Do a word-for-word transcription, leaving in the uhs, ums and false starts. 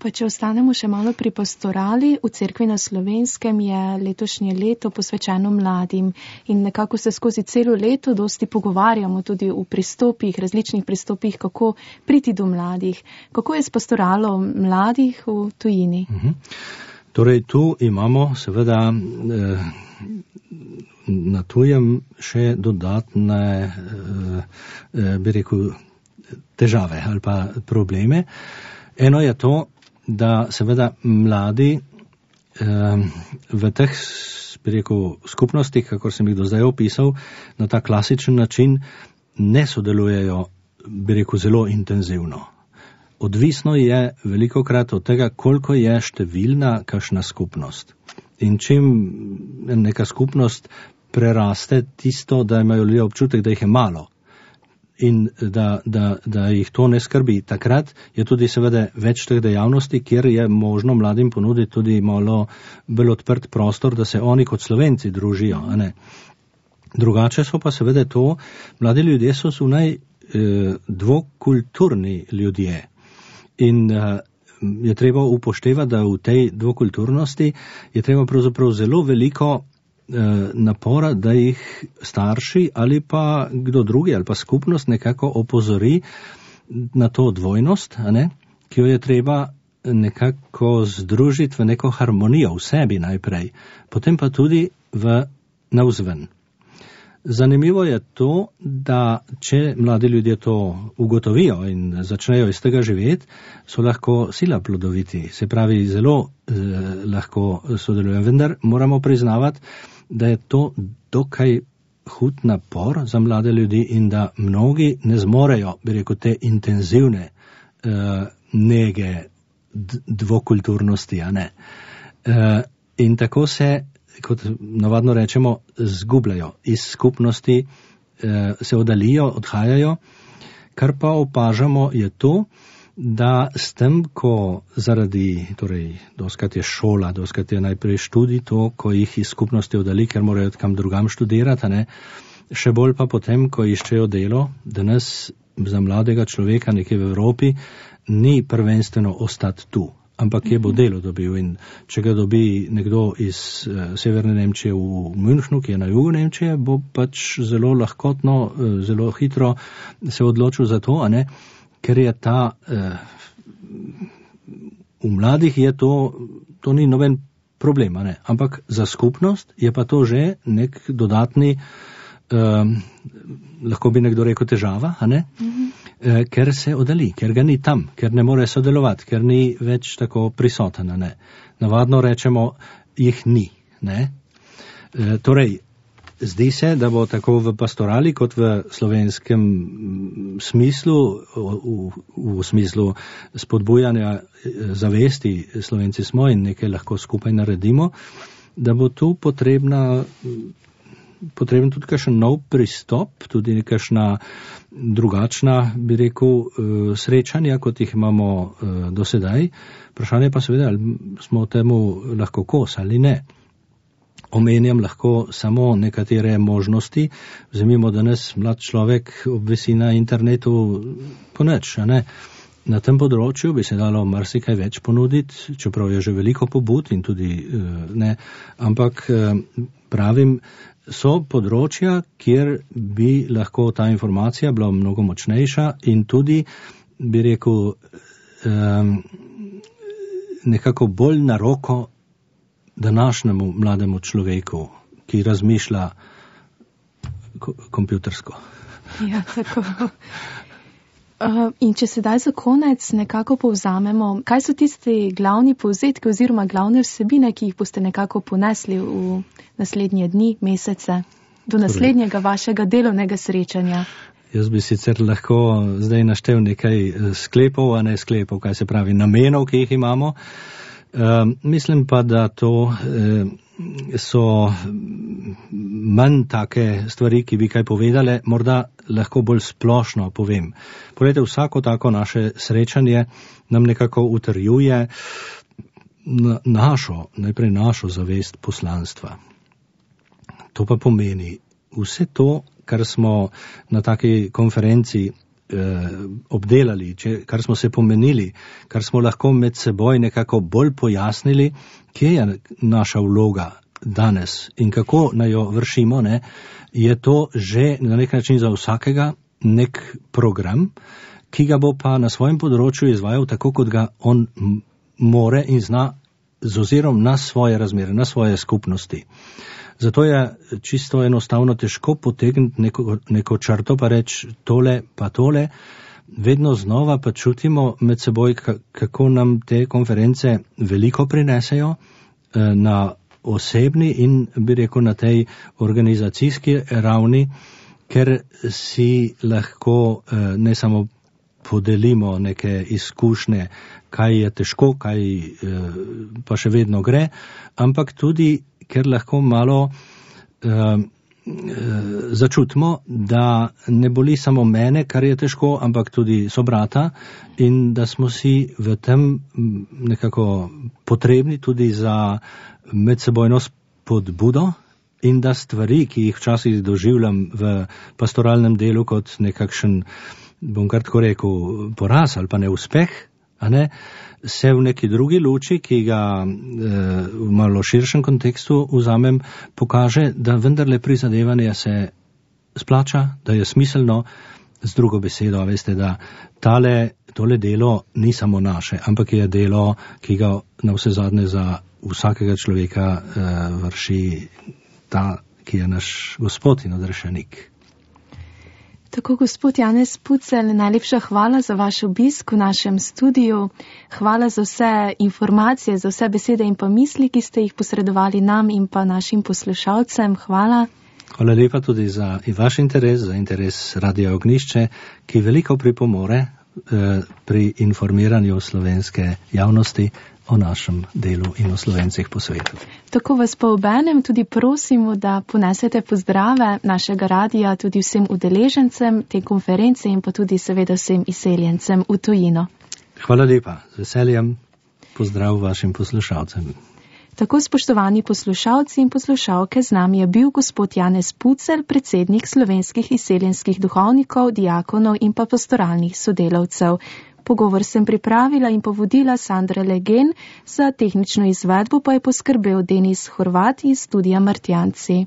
Pa če ostanemo še malo pri pastorali, v Cerkvi na Slovenskem je letošnje leto posvečeno mladim in nekako se skozi celo leto dosti pogovarjamo tudi v pristopih, različnih pristopih, kako priti do mladih. Kako je s pastoralo mladih v tujini? Mhm. Torej, tu imamo seveda eh, na tujem še dodatne, eh, bi rekel, težave ali pa probleme. Eno je to, da seveda mladi eh, v teh, bi rekel, skupnostih, kako sem jih do zdaj opisal, na ta klasičen način ne sodelujejo, bi rekel, zelo intenzivno. Odvisno je velikokrat od tega, koliko je številna kakšna skupnost. In čim neka skupnost preraste tisto, da imajo ljudje občutek, da jih je malo, in da, da, da jih to ne skrbi. Takrat je tudi seveda več teh dejavnosti, kjer je možno mladim ponuditi tudi malo bolj odprt prostor, da se oni kot Slovenci družijo. A ne? Drugače so pa seveda to, mladi ljudje so zunaj eh, dvokulturni ljudje. In eh, je treba upoštevati, da v tej dvokulturnosti je treba pravzaprav zelo veliko napora, da jih starši ali pa kdo drugi ali pa skupnost nekako opozori na to dvojnost, a ne, ki jo je treba nekako združiti v neko harmonijo v sebi najprej, potem pa tudi v navzven. Zanimivo je to, da če mladi ljudje to ugotovijo in začnejo iz tega živeti, so lahko sila plodoviti, se pravi zelo eh, lahko sodelujo, vendar moramo priznavati, da je to dokaj hud napor za mlade ljudi in da mnogi ne zmorejo, bi rekel, te intenzivne uh, nege dvokulturnosti, a ne. Uh, in tako se, kot navadno rečemo, zgubljajo iz skupnosti, uh, se oddalijo, odhajajo. Kar pa opažamo je to, da s tem, ko zaradi, torej, doskrat je šola, doskrat je najprej študij, to, ko jih iz skupnosti oddali, ker morajo kam drugam študirati, ne, še bolj pa potem, ko iščejo delo, danes za mladega človeka nekje v Evropi ni prvenstveno ostati tu, ampak je bo delo dobil. In če ga dobi nekdo iz uh, severne Nemčije v Münchnu, ki je na jugu Nemčije, bo pač zelo lahkotno, uh, zelo hitro se odločil za to, a ne, ker je ta, eh, v mladih je to, to ni noben problem, ne? Ampak za skupnost je pa to že nek dodatni, eh, lahko bi nekdo rekel težava, a ne? Mm-hmm. Eh, ker se oddali, ker ga ni tam, ker ne more sodelovati, ker ni več tako prisoten, ne? Navadno rečemo, jih ni, ne? Eh, torej, zdi se, da bo tako v pastorali kot v slovenskem smislu, v, v smislu spodbujanja zavesti, Slovenci smo in nekaj lahko skupaj naredimo, da bo tu potrebna, potreben tudi kakšen nov pristop, tudi nekakšna drugačna, bi rekel, srečanja, kot jih imamo do sedaj. Vprašanje pa seveda, ali smo temu lahko kos ali ne. Omenjam lahko samo nekatere možnosti. Vzemimo danes mlad človek obvesi na internetu poneč, a ne. Na tem področju bi se dalo marsikaj več ponuditi, čeprav je že veliko pobud in tudi ne, ampak pravim, so področja, kjer bi lahko ta informacija bila mnogo močnejša in tudi, bi rekel, nekako bolj na roko današnjemu mlademu človeku, ki razmišlja kompjutersko. Ja, tako. Uh, in če sedaj za konec nekako povzamemo, kaj so tisti glavni povzetki oziroma glavne vsebine, ki jih boste nekako ponesli v naslednje dni, mesece, do naslednjega vašega delovnega srečanja? Jaz bi sicer lahko zdaj naštel nekaj sklepov, a ne sklepov, kaj se pravi namenov, ki jih imamo. Uh, mislim pa, da to uh, so manj take stvari, ki bi kaj povedale, morda lahko bolj splošno povem. Poglejte, vsako tako naše srečanje nam nekako utrjuje na našo, najprej našo zavest poslanstva. To pa pomeni vse to, kar smo na taki konferenci obdelali, če, kar smo se pomenili, kar smo lahko med seboj nekako bolj pojasnili, kje je naša vloga danes in kako naj jo vršimo, ne, je to že na nek način za vsakega nek program, ki ga bo pa na svojem področju izvajal tako, kot ga on more in zna z ozirom na svoje razmere, na svoje skupnosti. Zato je čisto enostavno težko potegniti neko, neko črto pa reči tole pa tole. Vedno znova pa čutimo med seboj, kako nam te konference veliko prinesejo na osebni in bi rekel na tej organizacijski ravni, ker si lahko ne samo podelimo neke izkušnje, kaj je težko, kaj pa še vedno gre, ampak tudi, ker lahko malo uh, začutimo, da ne boli samo mene, kar je težko, ampak tudi sobrata in da smo si v tem nekako potrebni tudi za medsebojno spodbudo in da stvari, ki jih včasih doživljam v pastoralnem delu kot nekakšen, bom kar tako rekel, poraz ali pa neuspeh, a ne, se v neki drugi luči, ki ga eh, v malo širšem kontekstu vzamem, pokaže, da vendarle prizadevanje se splača, da je smiselno, z drugo besedo, veste, da tale, tole delo ni samo naše, ampak je delo, ki ga na vse zadnje za vsakega človeka eh, vrši ta, ki je naš Gospod in odrešenik. Tako, gospod Janez Pucelj, najlepša hvala za vaš obisk v našem studiu. Hvala za vse informacije, za vse besede in pa misli, ki ste jih posredovali nam in pa našim poslušalcem. Hvala. Hvala lepa tudi za vaš interes, za interes Radia Ognjišče, ki veliko pripomore eh, pri informiranju slovenske javnosti o našem delu in o Slovencih po svetu. Tako vas pa obenem tudi prosimo, da ponesete pozdrave našega radija tudi vsem udeležencem te konference in pa tudi seveda vsem izseljencem v tujino. Hvala lepa, z veseljem pozdrav vašim poslušalcem. Tako, spoštovani poslušalci in poslušalke, z nami je bil gospod Janez Pucelj, predsednik slovenskih izseljenskih duhovnikov, diakonov in pa pastoralnih sodelavcev. Pogovor sem pripravila in povodila Sandra Legen, za tehnično izvedbo pa je poskrbel Denis Horvat iz studia Martjanci.